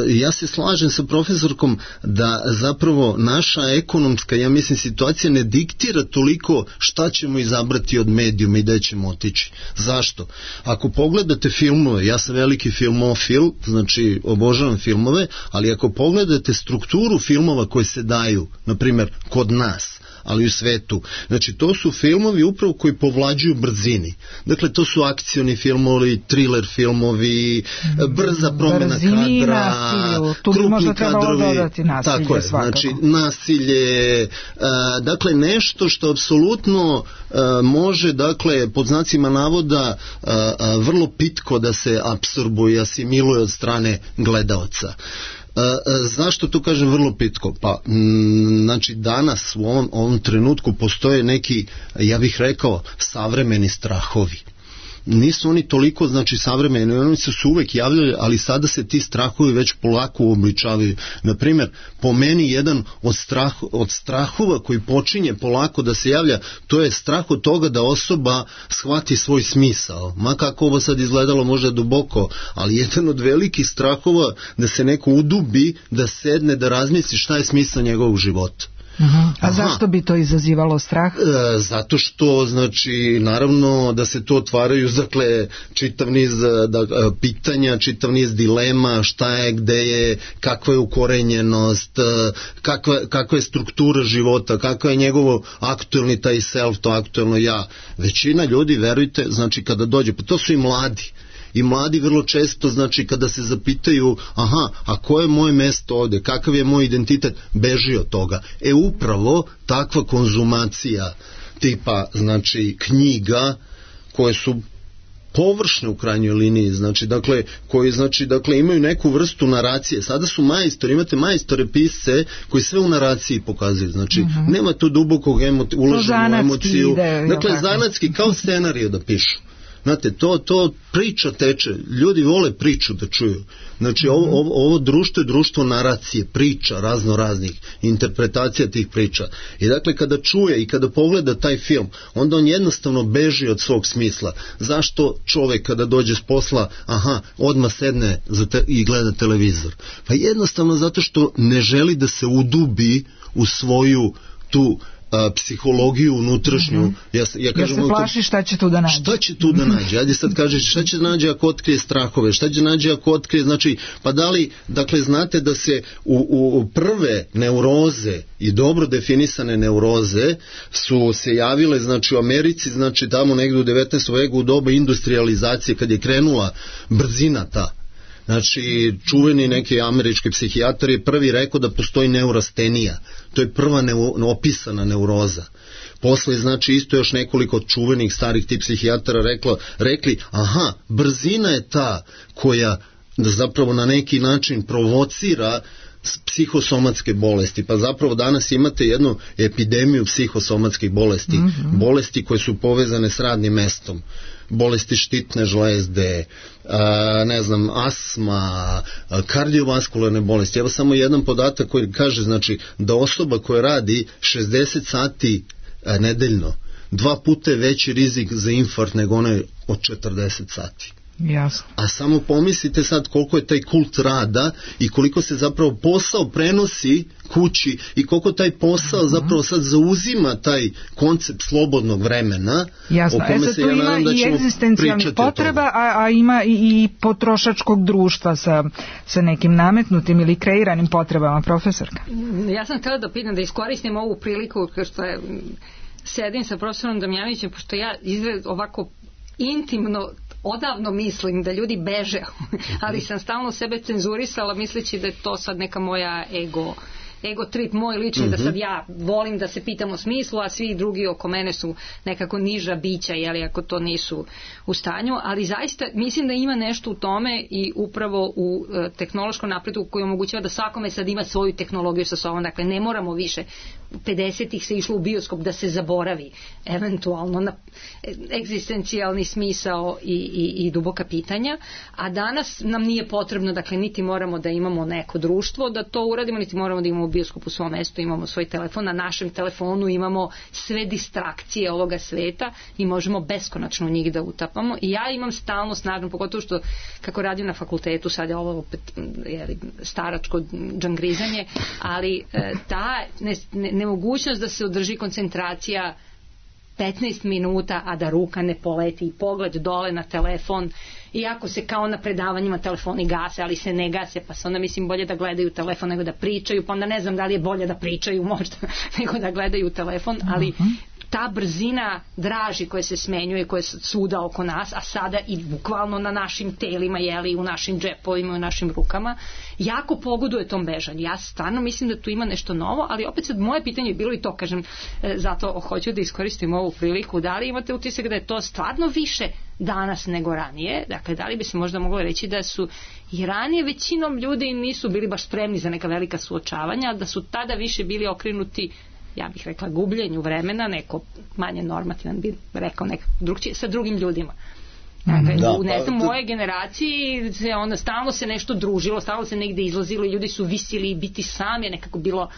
ja se slažem sa profesorkom da zapravo naša ekonomska, ja mislim, situacija ne diktira toliko šta ćemo izabrati od medijuma i gde ćemo otići. Zašto? Ako pogledate filmove, ja sam veliki filmofil, znači obožavam filmove, ali ako pogledate strukturu filmova koje se daju, na primjer kod nas, ali u svetu, znači to su filmovi upravo koji povlađuju brzini. Dakle, to su akcioni filmovi, thriller filmovi, brza promjena Brzini kadra, nasilju. Tu bi možda trebalo dodati nasilje, tako je, svakako. znači nasilje, a, dakle nešto što apsolutno a, može, dakle, pod znacima navoda a, a, vrlo pitko da se apsorbuje, asimiluje od strane gledaoca. E, zašto to kažem vrlo pitko? Pa, m, znači danas u ovom, ovom trenutku postoje neki, ja bih rekao, savremeni strahovi. Nisu oni toliko, znači, savremeni, oni su se uvek javljali, ali sada se ti strahovi već polako uobličavaju. Naprimjer, po meni jedan od, strah, od strahova koji počinje polako da se javlja, to je strah od toga da osoba shvati svoj smisao. Ma kako ovo sad izgledalo možda duboko, ali jedan od velikih strahova da se neko udubi, da sedne, da razmisli šta je smisao njegovog života. Uh-huh. A Aha. zašto bi to izazivalo strah? E, zato što, znači, naravno da se to otvaraju, dakle, čitav niz da, pitanja, čitav niz dilema, šta je, gde je, kakva je ukorenjenost, kakva, kakva je struktura života, kakva je njegovo aktuelni taj self, to aktuelno ja. Većina ljudi, verujte, znači, kada dođe, pa to su i mladi. I mladi vrlo često, znači, kada se zapitaju, aha, a koje je moje mesto ovde, kakav je moj identitet, beži od toga. E upravo takva konzumacija tipa, znači, knjiga koje su površne u krajnjoj liniji, znači, dakle, koji, znači, dakle, imaju neku vrstu naracije. Sada su majstori, imate majstore pisce koji sve u naraciji pokazuju, znači, uh-huh. nema tu dubokog emoti- ulaženja u emociju. Ide, dakle, zanatski, kao scenariju da pišu. Znate, to, to priča teče, ljudi vole priču da čuju. Znači, ovo, ovo, ovo društvo je društvo naracije, priča, razno raznih interpretacija tih priča. I dakle, kada čuje i kada pogleda taj film, onda on jednostavno beži od svog smisla. Zašto čovek kada dođe s posla, aha, odmah sedne za te, i gleda televizor? Pa jednostavno zato što ne želi da se udubi u svoju tu A, psihologiju unutrašnju. Mm-hmm. Ja, ja kažem, ja se plaši šta će tu da nađe. Šta će tu da nađe? Ajde sad kažeš šta će da nađe ako otkrije strahove, šta će da nađe ako otkrije, znači, pa da li, dakle, znate da se u, u prve neuroze i dobro definisane neuroze su se javile, znači, u Americi, znači, tamo negde u devetnaestom veku u doba industrializacije, kad je krenula brzina ta. Znači, čuveni neki američki psihijatar je prvi rekao da postoji neurastenija. To je prva neo, opisana neuroza. Posle, znači, isto još nekoliko čuvenih starih tih psihijatara reklo, rekli, aha, brzina je ta koja zapravo na neki način provocira psihosomatske bolesti. Pa zapravo danas imate jednu epidemiju psihosomatskih bolesti. Mm-hmm. Bolesti koje su povezane s radnim mestom. Bolesti štitne žlezde, a, ne znam, asma, a, kardiovaskularne bolesti. Evo samo jedan podatak koji kaže, znači, da osoba koja radi šezdeset sati a, nedeljno, dva puta je veći rizik za infarkt nego onaj od četrdeset sati. Jasno. A samo pomislite sad koliko je taj kult rada i koliko se zapravo posao prenosi kući i koliko taj posao zapravo sad zauzima taj koncept slobodnog vremena. Jasno, o kome e sad se tu ja ima nadam da i egzistencijalnih potreba, a, a ima i, i potrošačkog društva sa, sa nekim nametnutim ili kreiranim potrebama, profesorka. Ja sam htjela da pitam, da iskoristim ovu priliku, kao što je, sedim sa profesorom Damjanovićem, pošto ja izgled ovako intimno odavno mislim da ljudi beže, ali sam stalno sebe cenzurisala misleći da je to sad neka moja ego ego trip moj lični, mm-hmm. da sad ja volim da se pitam o smislu, a svi drugi oko mene su nekako niža bića, jeli, ako to nisu u stanju, ali zaista mislim da ima nešto u tome i upravo u e, tehnološkom napredu koji omogućava da svakome sad ima svoju tehnologiju sa sobom, dakle ne moramo više pedesetih se išlo u bioskop da se zaboravi eventualno na egzistencijalni smisao i, i, i duboka pitanja, a danas nam nije potrebno, dakle niti moramo da imamo neko društvo da to uradimo, niti moramo da imamo bioskop u svom mestu, imamo svoj telefon, na našem telefonu imamo sve distrakcije ovoga sveta i možemo beskonačno njih da utapamo i ja imam stalno snažno, pogotovo što kako radim na fakultetu, sad je ovo opet jeli, staračko džangrizanje, ali e, ta ne, ne, nemogućnost da se održi koncentracija petnaest minuta, a da ruka ne poleti i pogled dole na telefon, iako se kao na predavanjima telefoni gase, ali se ne gase, pa se onda mislim bolje da gledaju telefon nego da pričaju, pa onda ne znam da li je bolje da pričaju možda nego da gledaju telefon, ali ta brzina draži koja se smenjuje, koja je svuda oko nas, a sada i bukvalno na našim telima, jeli, u našim džepovima, u našim rukama, jako pogoduje tom bežanju. Ja stvarno mislim da tu ima nešto novo, ali opet sad moje pitanje je bilo i to, kažem, zato hoću da iskoristim ovu priliku, da li imate utisak da je to stvarno više danas nego ranije, dakle da li bi se možda moglo reći da su i ranije većinom ljudi nisu bili baš spremni za neka velika suočavanja, da su tada više bili okrenuti, ja bih rekla, gubljenju vremena, neko manje normativan bi rekao nekako drugčije, sa drugim ljudima. Dakle, da, u ne znam, pa, moje generaciji se onda stalno se nešto družilo, stalno se negde izlazilo i ljudi su visili i biti sam je nekako bilo,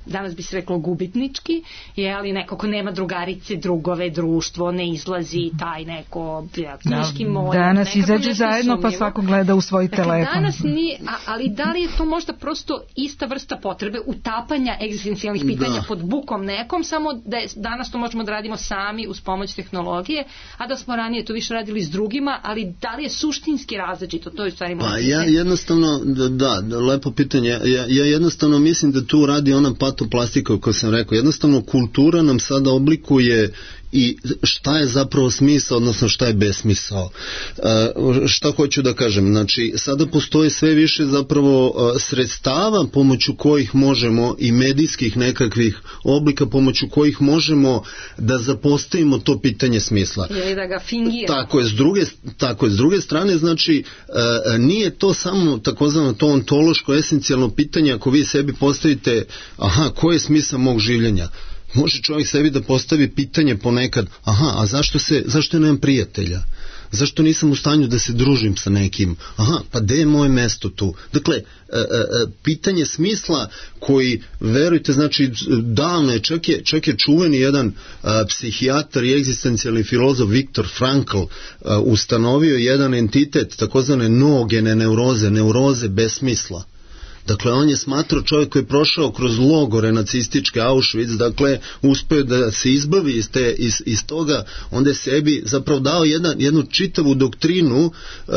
danas bi se reklo gubitnički, je, ali nekako nema drugarice, drugove, društvo, ne izlazi taj neko ja, knjiški moj. Danas izađe zajedno sumnjivo. Pa svako gleda u svoj dakle, telefon. Danas nije, a, ali da li je to možda prosto ista vrsta potrebe utapanja egzistencijalnih pitanja da. Pod bukom nekom, samo da je, danas to možemo da radimo sami uz pomoć tehnologije, a da smo ranije to više radili s drugima, ali da li je suštinski različito, to je u stvari pa ja jednostavno, da, da, lepo pitanje, ja, ja jednostavno mislim da tu radi ona patoplastika koju sam rekao, jednostavno kultura nam sada oblikuje i šta je zapravo smisao, odnosno šta je besmisao. Šta hoću da kažem? Znači, sada postoje sve više zapravo sredstava pomoću kojih možemo i medijskih nekakvih oblika pomoću kojih možemo da zapostavimo to pitanje smisla. Ili da ga fingiramo. Tako je, s druge, tako je, s druge strane, znači, nije to samo takozvano to ontološko, esencijalno pitanje. Ako vi sebi postavite, aha, koji je smisao mog življenja? Može čovjek sebi da postavi pitanje ponekad, aha, a zašto se, zašto nemam prijatelja? Zašto nisam u stanju da se družim sa nekim? Aha, pa gde je moje mesto tu? Dakle, e, e, pitanje smisla koji, verujte, znači, davno je, čak je, čak je čuveni jedan a, psihijatar i egzistencijalni filozof Viktor Frankl a, ustanovio jedan entitet, takozvane noogene neuroze, neuroze besmisla. Dakle, on je smatrao, čovjek koji je prošao kroz logore nacističke Auschwitz, dakle, uspeo da se izbavi iz, te, iz, iz toga, onda je sebi zapravo dao jedan, jednu čitavu doktrinu e,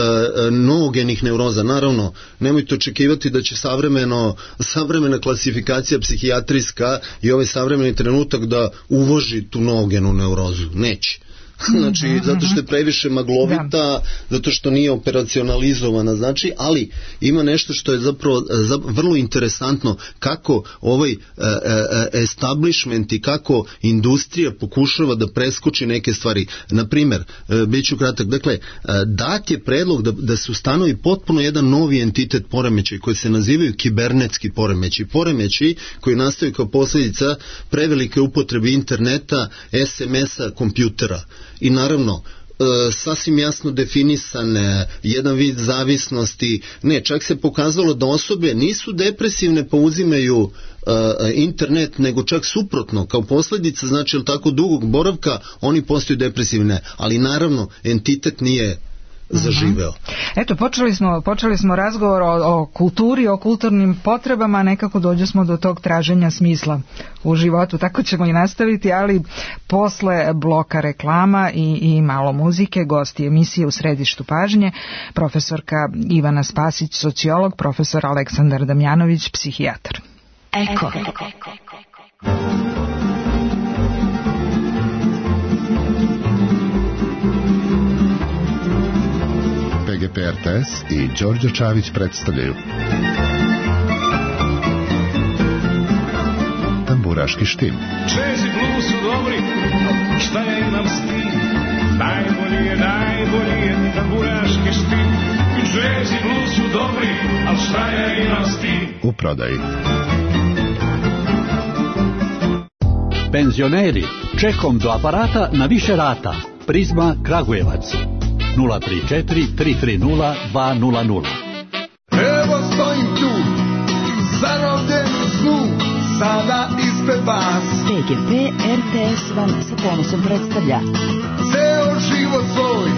noogenih neuroza. Naravno, nemojte očekivati da će savremeno, savremena klasifikacija psihijatrijska i ovaj savremeni trenutak da uvoži tu noogenu neurozu. Neće. Znači, zato što je previše maglovita, zato što nije operacionalizovana, znači, ali ima nešto što je zapravo vrlo interesantno, kako ovaj establishment i kako industrija pokušava da preskoči neke stvari. Naprimer, bit ću kratak, dakle, dat je predlog da, da se ustanovi potpuno jedan novi entitet poremećaj koji se nazivaju kibernetski poremećaj. Poremećaj koji nastaju kao posljedica prevelike upotrebe interneta, es em es-a, kompjutera. I naravno, e, sasvim jasno definisane, jedan vid zavisnosti, ne, čak se pokazalo da osobe nisu depresivne pa uzimaju e, internet, nego čak suprotno, kao posljedica, znači, tako dugog boravka, oni postaju depresivne, ali naravno, entitet nije zaživeo. Eto, počeli smo, počeli smo razgovor o, o kulturi, o kulturnim potrebama, nekako dođe smo do tog traženja smisla u životu, tako ćemo i nastaviti, ali posle bloka reklama i, i malo muzike, gosti emisije U središtu pažnje, profesorka Ivana Spasić, sociolog, profesor Aleksandar Damjanović, psihijatar. Eko. P G P R T S i Đorđe Čavić predstavljaju Tamburaški štim. Čezi blues su dobri, šta ja imam s tim? Najbolji je, najbolji je tamburaški štim. Čezi blues su dobri, al šta ja imam s tim? U prodaji. Penzioneri, čekom do aparata na više rata. Prizma Kragujevac. nula tri četiri tri tri nula dva nula nula. Evo stojim tu, zarobljen u snu, sada ispred vas. P G P R T S vam sa ponosom predstavlja Ceo život svoj,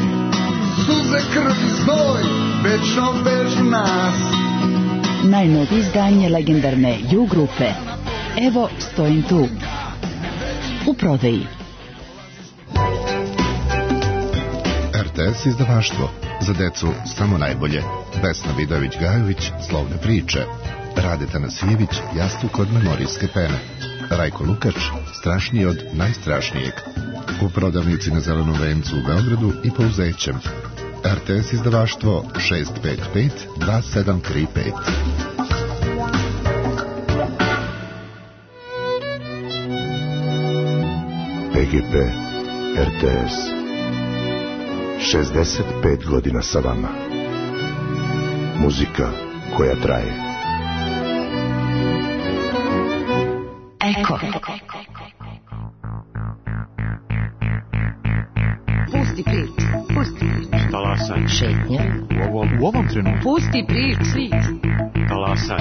suze, krv i znoj, večno vežu nas. najnovije izdanje legendarne U grupe. Evo stojim tu. U prodaji. R T S izdavaštvo. Za decu samo najbolje. Vesna Vidović-Gajović, Slovne priče. Rade Tanasijević, Jastuk od memorijske pene. Rajko Lukač, Strašniji od najstrašnijeg. U prodavnici na Zelenom vencu u Beogradu i Pouzećem. R T S izdavaštvo šest pet pet dva sedam tri pet. P G P R T S šezdeset pet godina sa vama. Muzika koja traje. Eko. Pusti prič, pusti prič. Talasaj. Šetnja. U ovom, u ovom trenutku. Pusti prič, prič. Talasaj.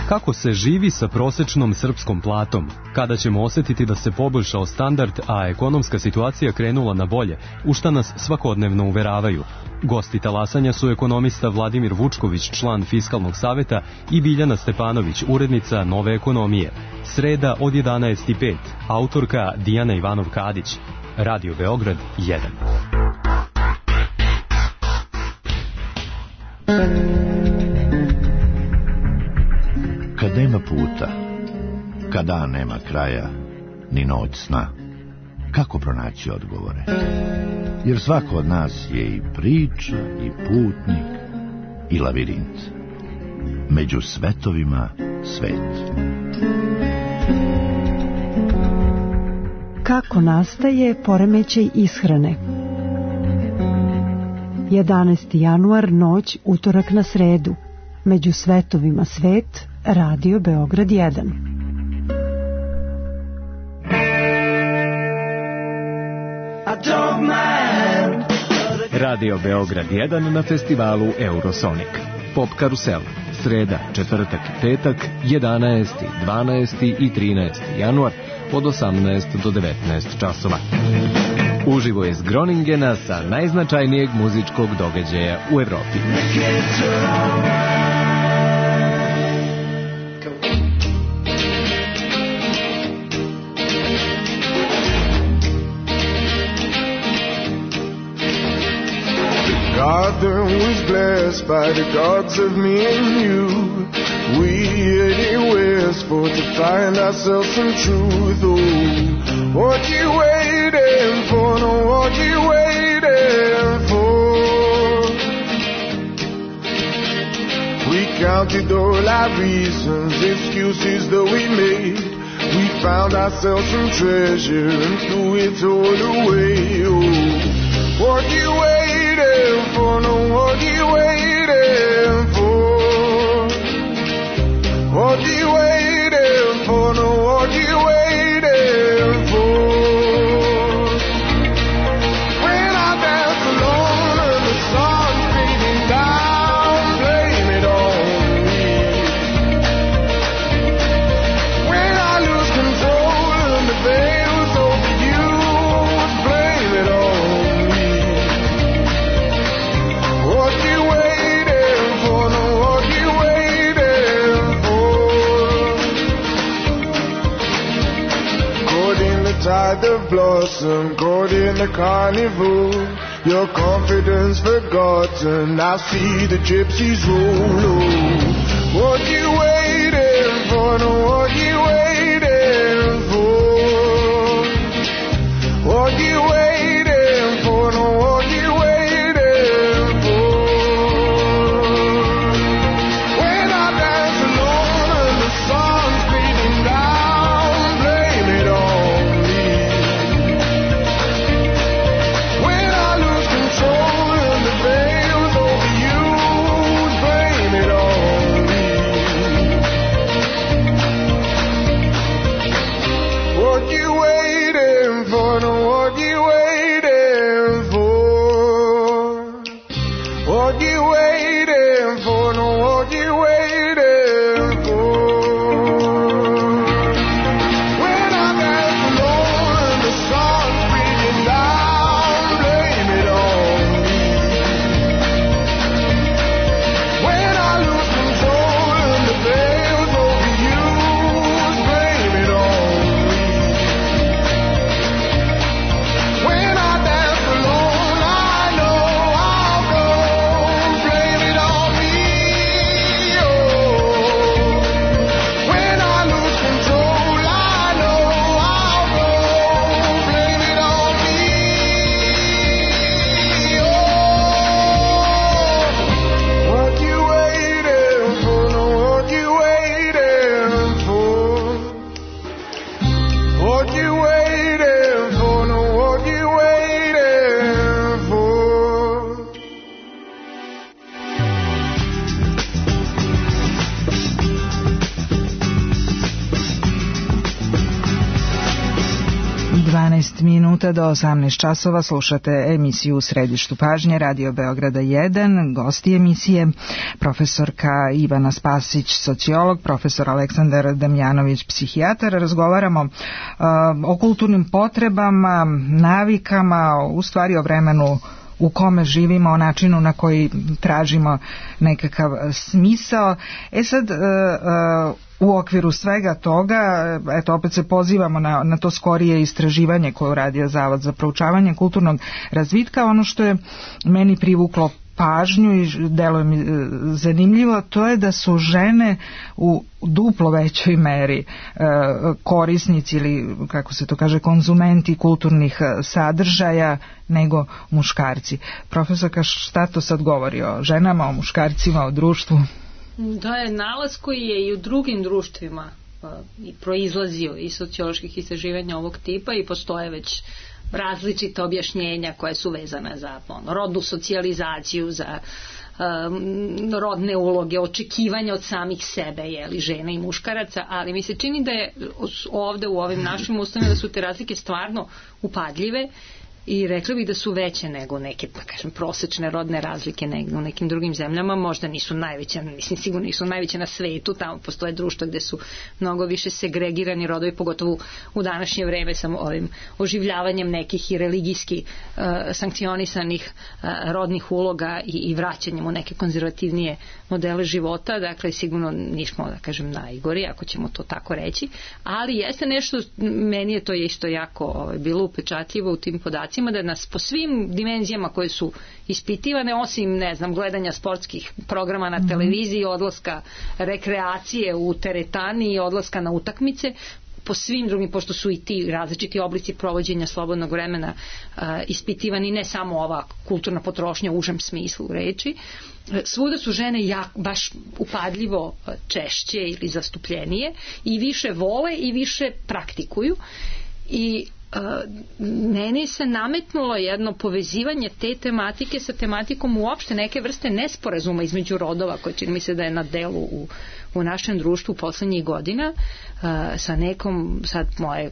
Kako se živi sa prosečnom srpskom platom? Kada ćemo osjetiti da se poboljšao standard, a ekonomska situacija krenula na bolje, u šta nas svakodnevno uveravaju? Gosti talasanja su ekonomista Vladimir Vučković, član Fiskalnog saveta, i Biljana Stepanović, urednica Nove ekonomije. Sreda od jedanaest i pet, autorka Dijana Ivanov-Kadić. Radio Beograd jedan. Kad nema puta, kad dan nema kraja, ni noć sna, kako pronaći odgovore. Jer svako od nas je i priča, i putnik, i lavirint. Među svetovima svet. Kako nastaje poremećaj ishrane? jedanaesti januar, noć, utorak na sredu. Među svetovima svet, Radio Beograd jedan. Radio Beograd jedan na festivalu Eurosonic. Pop Karusel. Sreda, četvrtak i petak, jedanaesti, dvanaesti i trinaesti januar od osamnaest do devetnaest časova. Uživo iz Groningena sa najznačajnijeg muzičkog događaja u Evropi. Garden was blessed by the gods of me and you. We headed westward to find ourselves some truth. Oh, what you waiting for? No, what you waiting for? We counted all our reasons, excuses that we made. We found ourselves some treasure and threw it all away. Oh, what you waiting for? No, what you waiting for? What you waiting for? No, what you waiting for? When I dance alone and the sun's fading down, blame it on me. When I lose control and the veil's overused, blame it on me. What you waiting for? No, what you waiting for? Caught in the tide of blossom, caught in the carnival. Your confidence forgotten, I see the gypsies roll. Oh, what you waiting for? No, what you waiting for? What you waiting for? No, what you waiting for? When I dance alone and the sun's beating down, blame it on me. When I lose control and the veil's overused, blame it on me. What you waiting for? No, what you waiting for? What you waiting for? No, what you waiting for? When I dance alone and the sun's beating down, blame it on me. When I lose control and the veil's overused, blame it on me. When I dance alone, I know I'll go, blame it on me. Oh, when I lose control, I know I'll go, blame it on me. Oh, what you waiting for? No, what you waiting for? What you waiting for? No, what you waiting for? dvanaest minuta do osamnaest časova slušate emisiju U središtu pažnje Radio Beograda jedan. Gosti emisije profesorka Ivana Spasić, sociolog, profesor Aleksandar Damjanović, psihijatar. Razgovaramo uh, o kulturnim potrebama, navikama, u stvari o vremenu u kome živimo, o načinu na koji tražimo nekakav smisao. E sad, uh, uh, u okviru svega toga, eto opet se pozivamo na, na to skorije istraživanje koje uradio Zavod za proučavanje kulturnog razvitka. Ono što je meni privuklo pažnju i deluje mi zanimljivo, to je da su žene u duplo većoj meri korisnici ili, kako se to kaže, konzumenti kulturnih sadržaja nego muškarci. Profesorka, šta to sad govori o ženama, o muškarcima, o društvu? To je nalaz koji je i u drugim društvima i proizlazio iz socioloških istraživanja ovog tipa i postoje već različite objašnjenja koje su vezane za ono, rodnu socijalizaciju, za um, rodne uloge, očekivanja od samih sebe, jeli, žena i muškaraca, ali mi se čini da je ovde u ovim našim ustavima da su te razlike stvarno upadljive i rekla bih da su veće nego neke, pa kažem, prosečne rodne razlike nego u nekim drugim zemljama, možda nisu najveće, mislim sigurno nisu najveće na svetu, tamo postoje društva gde su mnogo više segregirani rodovi, pogotovo u današnje vreme sa ovim oživljavanjem nekih i religijski uh, sankcionisanih uh, rodnih uloga i, i vraćanjem u neke konzervativnije modele života, dakle sigurno nismo, da kažem, najgori, ako ćemo to tako reći, ali jeste nešto, meni je to isto jako ovaj, bilo upečatljivo u tim podacima, da nas po svim dimenzijama koje su ispitivane, osim, ne znam, gledanja sportskih programa na televiziji, odlaska rekreacije u teretani i odlaska na utakmice, po svim drugim, pošto su i ti različiti oblici provođenja slobodnog vremena uh, ispitivani, ne samo ova kulturna potrošnja u užem smislu reči, svuda su žene jak, baš upadljivo češće ili zastupljenije i više vole i više praktikuju i Uh, meni se nametnulo jedno povezivanje te tematike sa tematikom uopšte neke vrste nesporazuma između rodova, koje čini mi se da je na delu u, u našem društvu poslednjih godina, uh, sa nekom, sad moje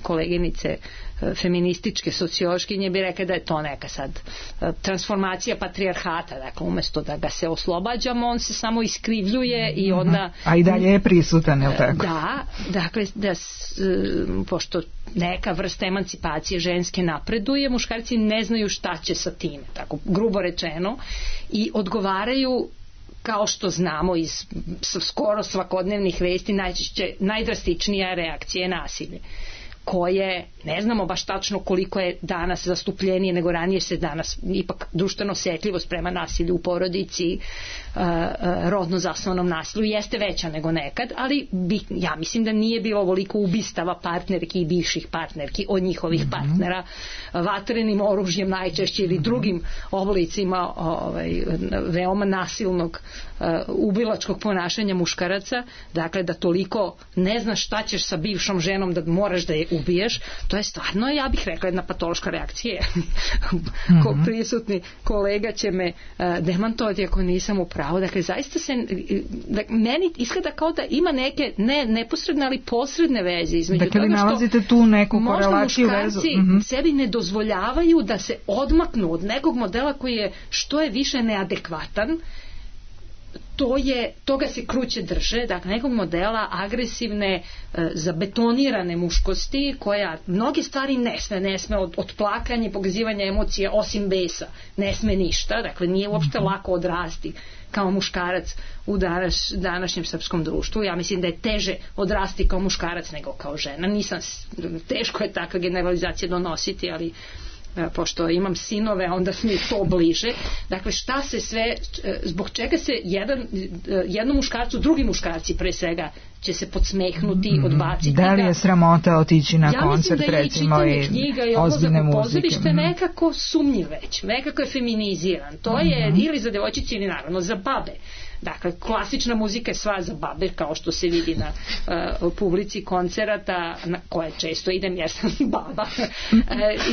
koleginice uh, feminističke sociološkinje bi rekla da je to neka sad uh, transformacija patrijarhata, dakle umesto da ga se oslobađamo, on se samo iskrivljuje i onda... A i dalje je prisutan, je li tako? Da, dakle, da s, pošto neka vrsta emancipacije ženske napreduje, muškarci ne znaju šta će sa time, tako grubo rečeno, i odgovaraju, kao što znamo iz skoro svakodnevnih vesti, najčešće najdrastičnija reakcija je nasilje, koje ne znamo baš tačno koliko je danas zastupljenije nego ranije, se danas ipak društveno osetljivost prema nasilju u porodici, uh, uh, rodno zasnovanom nasilju jeste veća nego nekad, ali bi, ja mislim da nije bilo ovoliko ubistava partnerki i bivših partnerki od njihovih mm-hmm. partnera vatrenim oružjem najčešće ili drugim oblicima ovaj, veoma nasilnog uh, ubilačkog ponašanja muškaraca, dakle da toliko ne znaš šta ćeš sa bivšom ženom da moraš da je ubiješ, to je stvarno, ja bih rekla, jedna patološka reakcija. Ko prisutni kolega će me uh, demantovati ako nisam u pravu. Dakle, zaista se, da, meni izgleda kao da ima neke, ne neposredne, ali posredne veze između dakle, toga što nalazite tu neku korelaciju, možda muškarci uh-huh. sebi ne dozvoljavaju da se odmaknu od nekog modela koji je što je više neadekvatan, to je, toga se kruće drže, dakle nekog modela agresivne, e, zabetonirane muškosti, koja mnoge stvari ne sme, ne sme od, od plakanja i pokazivanja emocije osim besa, ne sme ništa, dakle nije uopšte lako odrasti kao muškarac u danas, današnjem srpskom društvu. Ja mislim da je teže odrasti kao muškarac nego kao žena. Nisam, teško je takva generalizacija donositi, ali pošto imam sinove, onda mi je to bliže. Dakle, šta se sve, zbog čega se jedan, jednom muškarcu, drugi muškarci pre svega će se podsmehnuti, mm-hmm. odbaciti. Da li je sramota otići na ja koncert, da recimo, i knjiga i ozbiljne muzike? Pozorište nekako sumnjiv već, nekako je feminiziran. To mm-hmm. je ili za devojčice ili naravno za babe. Dakle, klasična muzika je sva za babe, kao što se vidi na uh, publici koncerata na koje često idem jer sam baba. uh,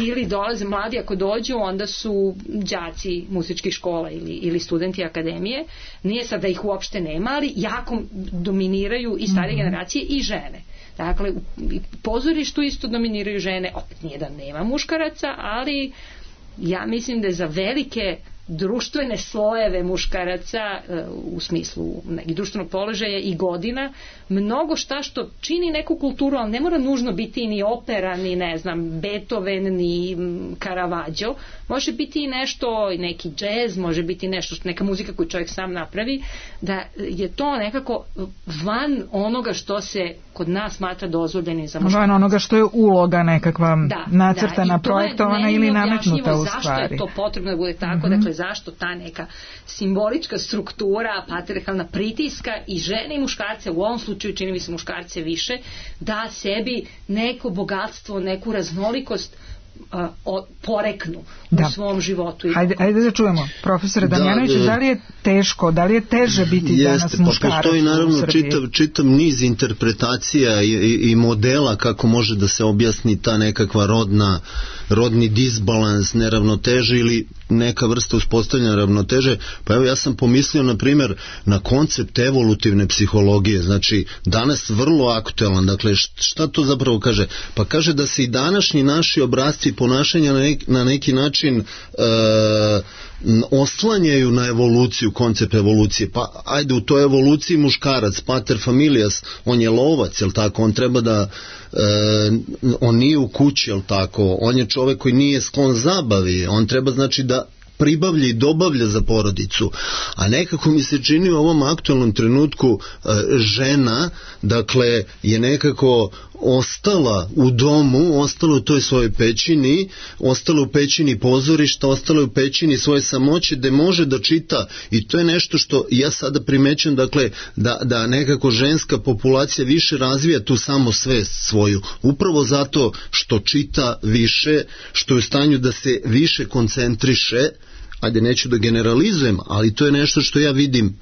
ili dolaze mladi, ako dođu, onda su đaci muzičkih škola ili, ili studenti akademije. Nije sad da ih uopšte nema, ali jako dominiraju i starije mm-hmm. generacije i žene. Dakle, u pozorištu isto dominiraju žene, opet nije da nema muškaraca, ali ja mislim da je za velike društvene slojeve muškaraca u smislu nekih društvenog položaja i godina mnogo šta što čini neku kulturu, ali ne mora nužno biti ni opera, ni ne znam Beethoven, ni Caravaggio, može biti i nešto, neki džez, može biti nešto, neka muzika koju čovjek sam napravi, da je to nekako van onoga što se kod nas smatra dozvoljenim za muškarca. Van onoga što je uloga nekakva da, nacrtana, da, projektovana ili nametnuta u stvari. Zašto je to potrebno da bude tako, mm-hmm. dakle zašto ta neka simbolička struktura patrijarhalna pritiska i žene i muškarce, u ovom slučaju čini mi se muškarce više, da sebi neko bogatstvo, neku raznolikost uh, o, poreknu da. u svom životu. Ajde, ajde da čujemo, profesore Damjanović, da, da, da li je teško, da li je teže biti jeste, danas muškarac pa postoji naravno čitav, čitav niz interpretacija i, i, i modela kako može da se objasni ta nekakva rodna, rodni disbalans, neravnoteže ili neka vrsta uspostavljanja ravnoteže. Pa evo ja sam pomislio na primjer na koncept evolutivne psihologije, znači danas vrlo aktualan. Dakle šta to zapravo kaže? Pa kaže da se i današnji naši obrasci ponašanja na neki, na neki način e, oslanjaju na evoluciju, koncept evolucije. Pa ajde, u toj evoluciji muškarac, pater familias, on je lovac, jel tako? On treba da e, on nije u kući, jel tako? On je čovek koji nije sklon zabavi, on treba znači da pribavlja i dobavlja za porodicu. A nekako mi se čini u ovom aktualnom trenutku e, žena, dakle, je nekako ostala u domu, ostala u toj svojoj pećini, ostala u pećini pozorišta, ostala u pećini svoje samoće, gde može da čita, i to je nešto što ja sada primećam, dakle, da, da nekako ženska populacija više razvija tu samosvest svoju, upravo zato što čita više, što je u stanju da se više koncentriše. Ajde, neću da generalizujem, ali to je nešto što ja vidim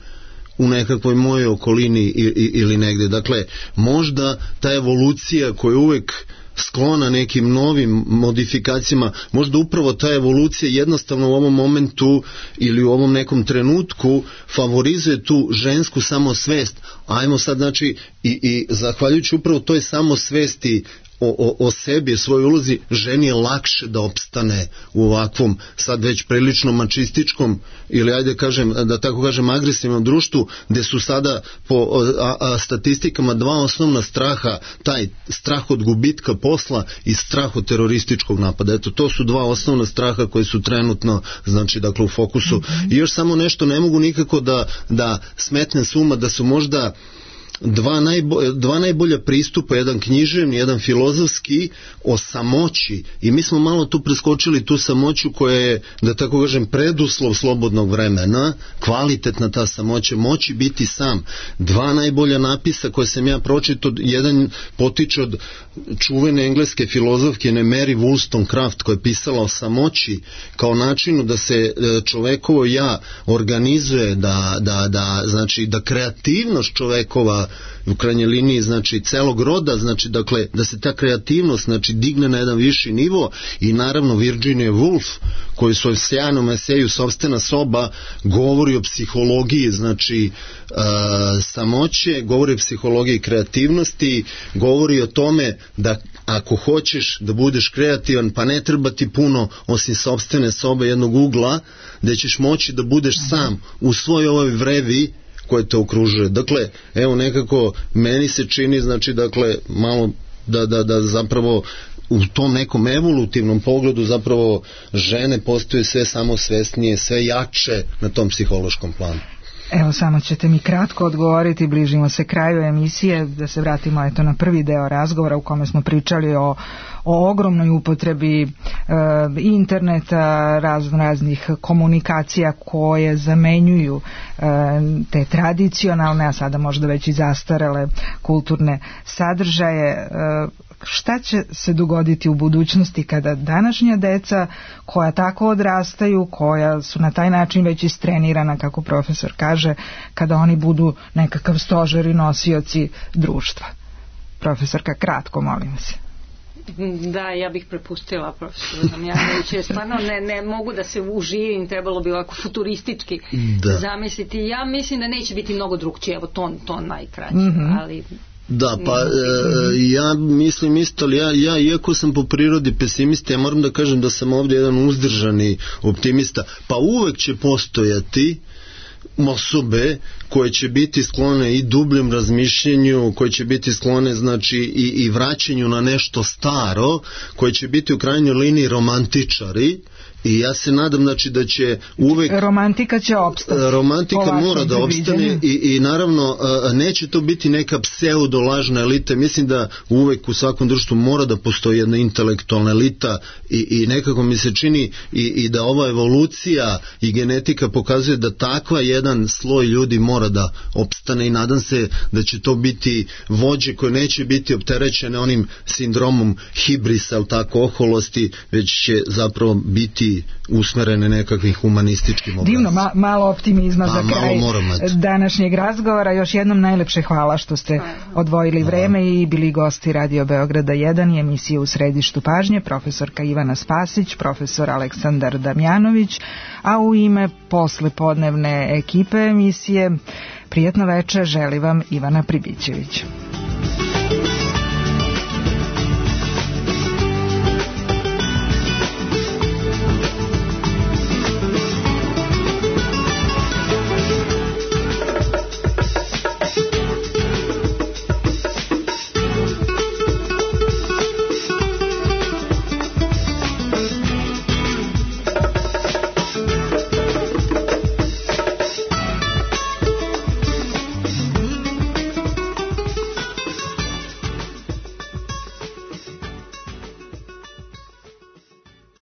u nekakvoj mojoj okolini ili negde. Dakle, možda ta evolucija koja je uvek sklona nekim novim modifikacijama, možda upravo ta evolucija jednostavno u ovom momentu ili u ovom nekom trenutku favorizuje tu žensku samosvest. Ajmo sad, znači, i, i zahvaljujući upravo toj samosvesti O, o, o sebi, svoj ulozi, ženi je lakše da opstane u ovakvom sad već prilično mačističkom ili ajde kažem, da tako kažem agresivnom društvu, gde su sada po a, a, statistikama dva osnovna straha, taj strah od gubitka posla i strah od terorističkog napada. Eto, to su dva osnovna straha koji su trenutno, znači, dakle, u fokusu. Mm-hmm. I još samo nešto, ne mogu nikako da, da smetnem s uma da su možda Dva, najbo, dva najbolja pristupa, jedan književni, jedan filozofski, o samoći, i mi smo malo tu preskočili tu samoću koja je, da tako kažem, preduslov slobodnog vremena, kvalitetna ta samoća, moći biti sam. Dva najbolja napisa koje sam ja pročitao, jedan potiče od čuvene engleske filozofkinje Mary Wollstonecraft, koja je pisala o samoći kao načinu da se čovekovo ja organizuje, da, da, da, znači, da kreativnost čovekova u krajnjoj liniji, znači, celog roda, znači, dakle, da se ta kreativnost, znači, digne na jedan viši nivo. I naravno Virginia Woolf, koji u svojom sjajnom eseju Sopstvena soba govori o psihologiji, znači, uh, samoće, govori o psihologiji kreativnosti, govori o tome da ako hoćeš da budeš kreativan, pa ne treba ti puno osim sopstvene sobe, jednog ugla, da ćeš moći da budeš sam u svojoj ovoj vrevi koje te okružuje. Dakle, evo, nekako meni se čini, znači, dakle, malo da, da, da zapravo u tom nekom evolutivnom pogledu zapravo žene postaju sve samosvesnije, sve jače na tom psihološkom planu. Evo, samo ćete mi kratko odgovoriti, bližimo se kraju emisije, da se vratimo eto na prvi deo razgovora u kome smo pričali o, o ogromnoj upotrebi e, interneta, razno raznih komunikacija koje zamenjuju e, te tradicionalne, a sada možda već i zastarele kulturne sadržaje. E, šta će se dogoditi u budućnosti kada današnja deca koja tako odrastaju, koja su na taj način već istrenirana, kako profesor kaže, kada oni budu nekakav stožer i nosioci društva? Profesorka, kratko, molim se. Da, ja bih prepustila profesoru Damjanoviću, stvarno ne, ne mogu da se uživim, trebalo bi ovako futuristički da zamisliti. Ja mislim da neće biti mnogo drugčije, evo to, to najkraće, mm-hmm. ali... Da, pa e, ja mislim isto, ali ja, ja iako sam po prirodi pesimista, ja moram da kažem da sam ovdje jedan uzdržani optimista, pa uvek će postojati osobe koje će biti sklone i dubljem razmišljenju, koje će biti sklone, znači, i, i vraćanju na nešto staro, koje će biti u krajnjoj liniji romantičari, I ja se nadam, znači, da će uvek... Romantika će opstati. Romantika mora da opstane i, i naravno neće to biti neka pseudo-lažna elita. Mislim da uvek u svakom društvu mora da postoji jedna intelektualna elita i, i nekako mi se čini i, i da ova evolucija i genetika pokazuje da takva jedan sloj ljudi mora da opstane i nadam se da će to biti vođe koje neće biti opterećene onim sindromom hibrisa, ali tako, oholosti, već će zapravo biti usmerene nekakvim humanističkim obrazom. Divno, ma, malo optimizma pa, za kraj današnjeg razgovora. Još jednom najlepše hvala što ste odvojili vreme i bili gosti Radio Beograda jedan i emisije U središtu pažnje, profesorka Ivana Spasić, profesor Aleksandar Damjanović, a u ime poslepodnevne ekipe emisije prijatno večer želi vam Ivana Pribićević.